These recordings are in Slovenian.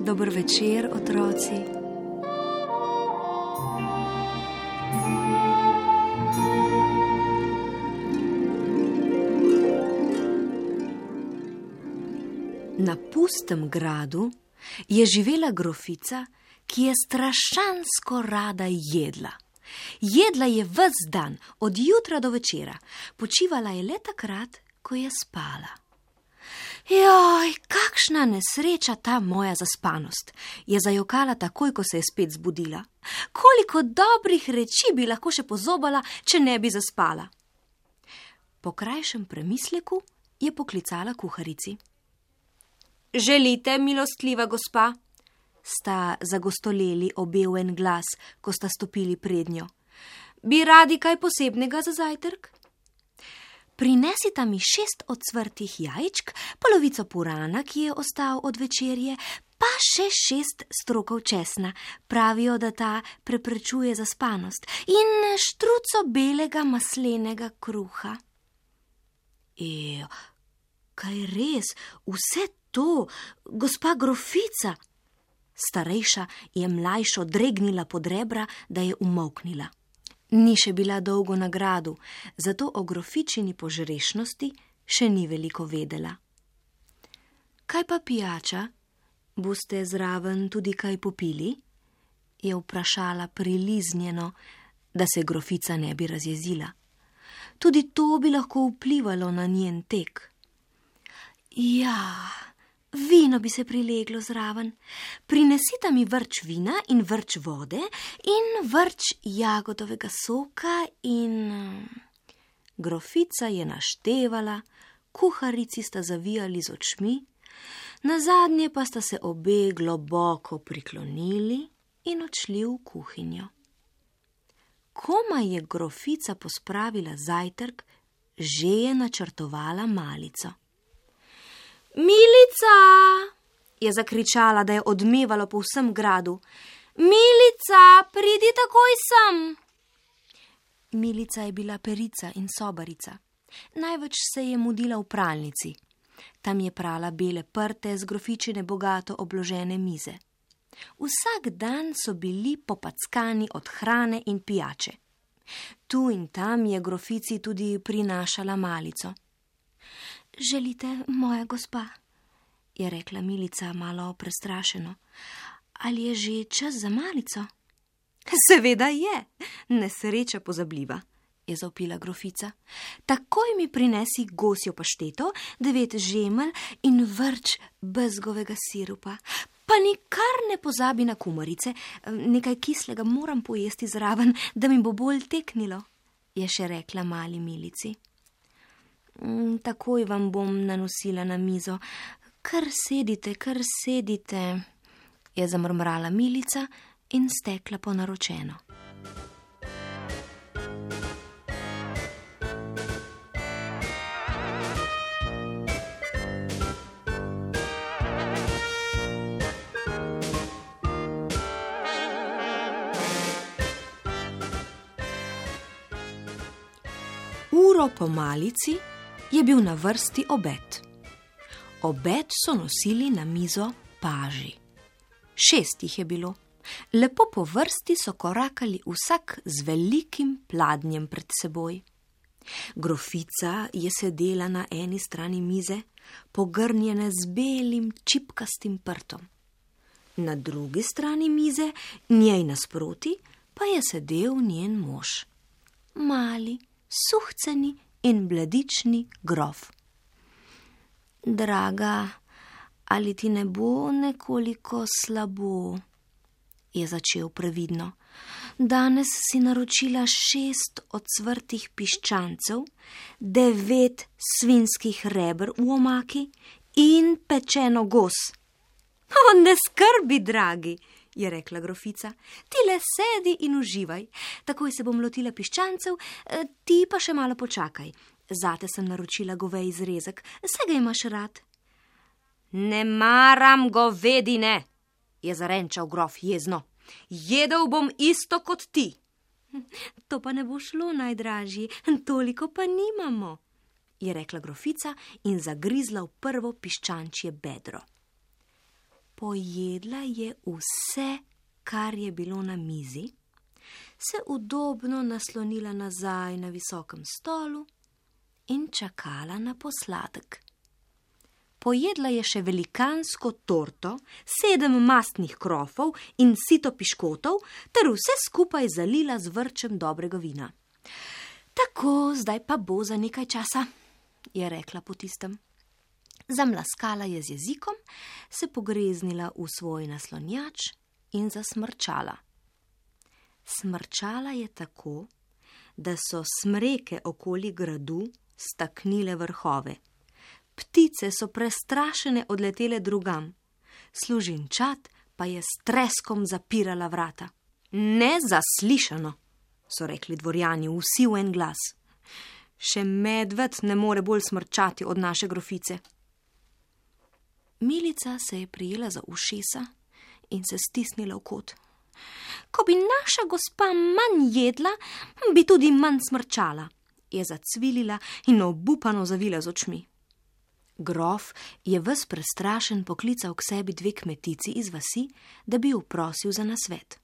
Dober večer, otroci. Na pustem gradu je živela grofica, ki je strašansko rada jedla. Jedla je ves dan, od jutra do večera, počivala je le takrat, ko je spala. Joj, kakšna nesreča ta moja zaspanost, je zajokala takoj, ko se je spet zbudila. Koliko dobrih reči bi lahko še pozobala, če ne bi zaspala. Po krajšem premisleku je poklicala kuharici. Želite, milostljiva gospa? Sta zagostoleli obe v en glas, ko sta stopili prednjo. Bi radi kaj posebnega za zajtrk? Prinesita mi 6 ocvrtih jajčk, polovico purana, ki je ostal od večerje, pa še 6 strokov česna. Pravijo, da ta preprečuje zaspanost, in štruco belega maslenega kruha. Kaj res, vse to, gospa grofica? Starejša je mlajšo dregnila pod rebra, da je umolknila. Ni še bila dolgo na gradu, zato o grofičini požrešnosti še ni veliko vedela. Kaj pa pijača? Boste zraven tudi kaj popili? Je vprašala priliznjeno, da se grofica ne bi razjezila. Tudi to bi lahko vplivalo na njen tek. Ja, vino bi se prileglo zraven. Prinesita mi vrč vina in vrč vode in vrč jagodovega soka in... Grofica je naštevala, kuharici sta zavijali z očmi, nazadnje pa sta se obe globoko priklonili in odšli v kuhinjo. Komaj je grofica pospravila zajtrk, že je načrtovala malico. Milica, je zakričala, da je odmevalo po vsem gradu. Milica, pridi takoj sem. Milica je bila perica in sobarica. Največ se je mudila v pralnici. Tam je prala bele prte z grofičine bogato obložene mize. Vsak dan so bili popackani od hrane in pijače. Tu in tam je grofici tudi prinašala malico. Želite, moja gospa, je rekla Milica malo prestrašeno. Ali je že čas za malico? Seveda je, nesreča pozabljiva, je zavpila grofica. Takoj mi prinesi gosjo pašteto, 9 žemelj in vrč bezgovega sirupa. Pa nikar ne pozabi na kumarice, nekaj kislega moram pojesti zraven, da mi bo bolj teknilo, je še rekla mali Milici. Takoj vam bom nanosila na mizo. Kar sedite, je zamrmrala Milica in stekla po naročeno. Uro po malici je bil na vrsti obed. Obed so nosili na mizo paži. 6 jih je bilo. Lepo po vrsti so korakali vsak z velikim pladnjem pred seboj. Grofica je sedela na eni strani mize, pogrnjene z belim čipkastim prtom. Na drugi strani mize, njej nasproti, pa je sedel njen mož. Mali, suhceni in bledični grof. Draga, ali ti ne bo nekoliko slabo, je začel previdno. Danes si naročila 6 ocvrtih piščancev, 9 svinjskih reber v omaki in pečeno gos. Ne skrbi, dragi, je rekla grofica. Ti le sedi in uživaj. Takoj se bom lotila piščancev, ti pa še malo počakaj. Zate sem naročila goveji zrezek, saj ga imaš rad. Ne maram govedine, je zarenčal grof jezno. Jedel bom isto kot ti. To pa ne bo šlo, najdražji, toliko pa nimamo, je rekla grofica in zagrizla v prvo piščančje bedro. Pojedla je vse, kar je bilo na mizi, se udobno naslonila nazaj na visokem stolu in čakala na posladek. Pojedla je še velikansko torto, 7 mastnih krofov in sito piškotov ter vse skupaj zalila z vrčem dobrega vina. Tako, zdaj pa bo za nekaj časa, je rekla po tistem. Zamlaskala je z jezikom, se pogreznila v svoj naslonjač in zasmrčala. Smrčala je tako, da so smreke okoli gradu staknile vrhove. Ptice so prestrašene odletele drugam, služinčat pa je s treskom zapirala vrata. Nezaslišano, so rekli dvorjani vsi v en glas. Še medved ne more bolj smrčati od naše grofice. Milica se je prijela za ušesa in se stisnila v kot. Ko bi naša gospa manj jedla, bi tudi manj smrčala, je zacvilila in obupano zavila z očmi. Grof je ves prestrašen poklical k sebi 2 kmetici iz vasi, da bi jo prosil za nasvet.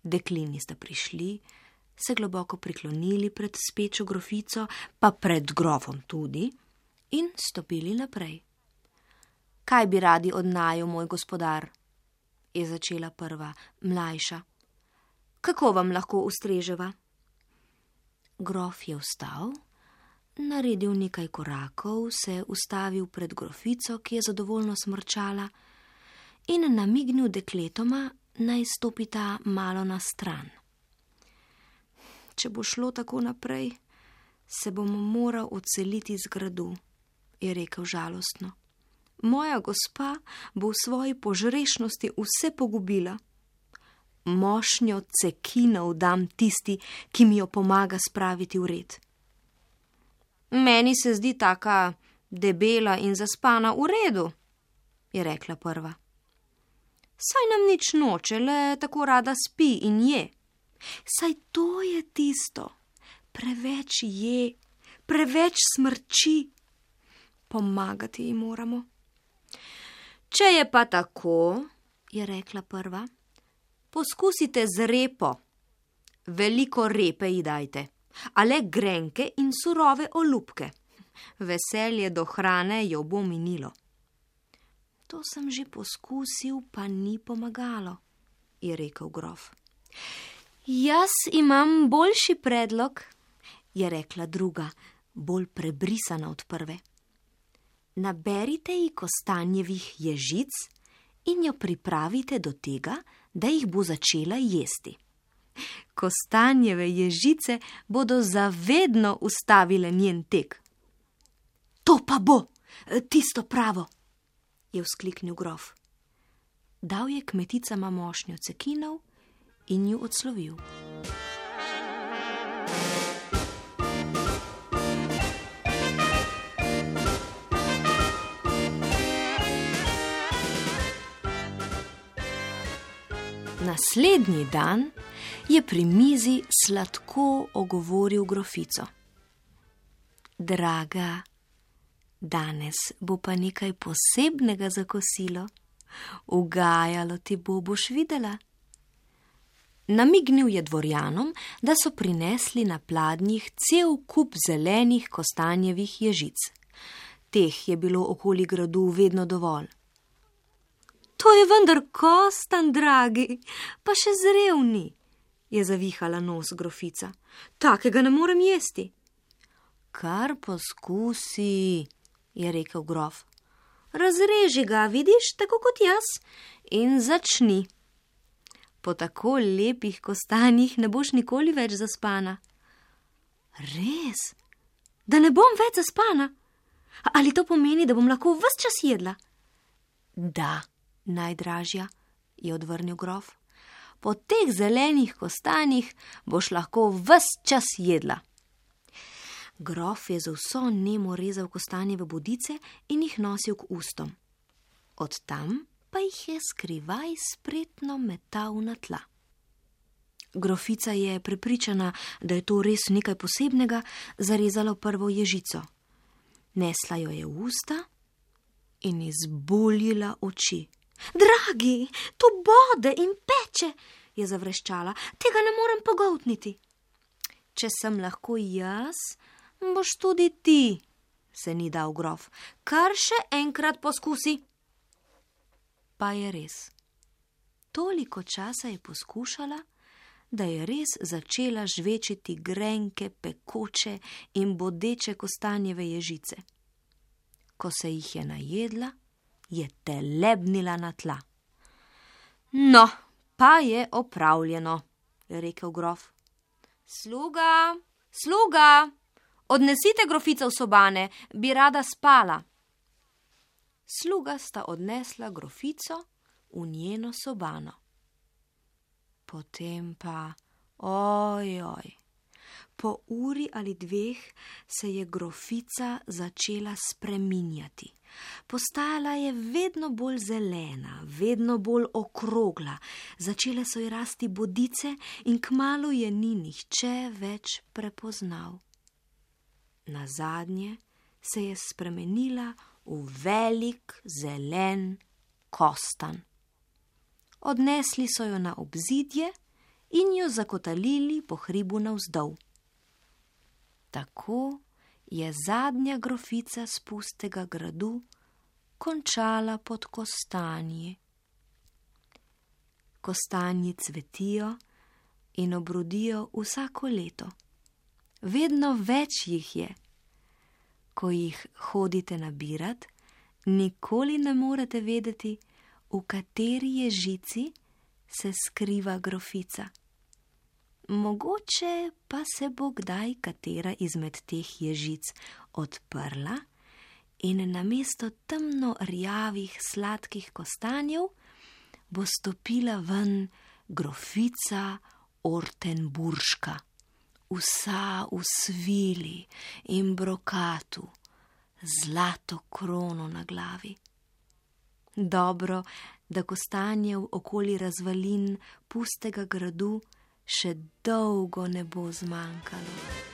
Deklini sta prišli, se globoko priklonili pred spečo grofico, pa pred grofom tudi, in stopili naprej. Kaj bi radi od naju, moj gospodar? Je začela prva, mlajša. Kako vam lahko ustreževa? Grof je vstal, naredil nekaj korakov, se ustavil pred grofico, ki je zadovoljno smrčala, in namignil dekletoma, naj stopita malo na stran. Če bo šlo tako naprej, se bom moral odseliti z gradu, je rekel žalostno. Moja gospa bo v svoji požrešnosti vse pogubila. Mošnjo cekinov dam tisti, ki mi jo pomaga spraviti v red. Meni se zdi taka debela in zaspana v redu, je rekla prva. Saj nam nič noče, le tako rada spi in je. Saj to je tisto, preveč je, preveč smrči. Pomagati ji moramo. Če je pa tako, je rekla prva, poskusite z repo. Veliko repe ji dajte, a le grenke in surove olupke. Veselje do hrane jo bo minilo. To sem že poskusil, pa ni pomagalo, je rekel grof. Jaz imam boljši predlog, je rekla druga, bolj prebrisana od prve. Naberite ji kostanjevih ježic in jo pripravite do tega, da jih bo začela jesti. Kostanjeve ježice bodo zavedno ustavile njen tek. To pa bo, tisto pravo, je vzkliknil grof. Dal je kmeticama mošnjo cekinov in ju odslovil. Naslednji dan je pri mizi sladko ogovoril grofico. Draga, danes bo pa nekaj posebnega za kosilo. Ugajalo ti bo, boš videla. Namignil je dvorjanom, da so prinesli na pladnjih cel kup zelenih kostanjevih ježic. Teh je bilo okoli gradu vedno dovolj. To je vendar kostan, dragi, pa še zrevni, je zavihala nos grofica. Takega ne morem jesti. Kar poskusi, je rekel grof. Razreži ga, vidiš, tako kot jaz, in začni. Po tako lepih kostanjih ne boš nikoli več zaspana. Res? Da ne bom več zaspana? Ali to pomeni, da bom lahko ves čas jedla? Da, Najdražja, je odvrnil grof, po teh zelenih kostanjih boš lahko ves čas jedla. Grof je z vso nemo rezal kostanjeve bodice in jih nosil k ustom. Od tam pa jih je skrivaj spretno metal na tla. Grofica je prepričana, da je to res nekaj posebnega, zarezala v prvo ježico. Nesla jo je v usta in izbuljila oči. Dragi, to bode in peče, je zavreščala, tega ne morem pogoltniti. Če sem lahko jaz, boš tudi ti, se ni dal grof, kar še enkrat poskusi. Pa je res. Toliko časa je poskušala, da je res začela žvečiti grenke, pekoče in bodeče kostanjeve ježice. Ko se jih je najedla, je telebnila na tla. No, pa je opravljeno, je rekel grof. Sluga, sluga, odnesite grofico v sobane, bi rada spala. Sluga sta odnesla grofico v njeno sobano. Potem pa, ojoj, po uri ali dveh se je grofica začela spreminjati. Postajala je vedno bolj zelena, vedno bolj okrogla, začele so ji rasti bodice in kmalu je ni nihče več prepoznal. Nazadnje se je spremenila v velik zelen kostan. Odnesli so jo na obzidje in jo zakotalili po hribu navzdol. Tako je zadnja grofica s pustega gradu končala pod kostanji. Kostanji cvetijo in obrodijo vsako leto. Vedno več jih je. Ko jih hodite nabirat, nikoli ne morete vedeti, v kateri ježici se skriva grofica. Mogoče pa se bo kdaj katera izmed teh ježic odprla in namesto temno rjavih sladkih kostanjev bo stopila ven grofica Ortenburška, vsa v svili in brokatu, zlato krono na glavi. Dobro, da kostanjev okoli razvalin pustega gradu še dolgo ne bo zmanjkalo.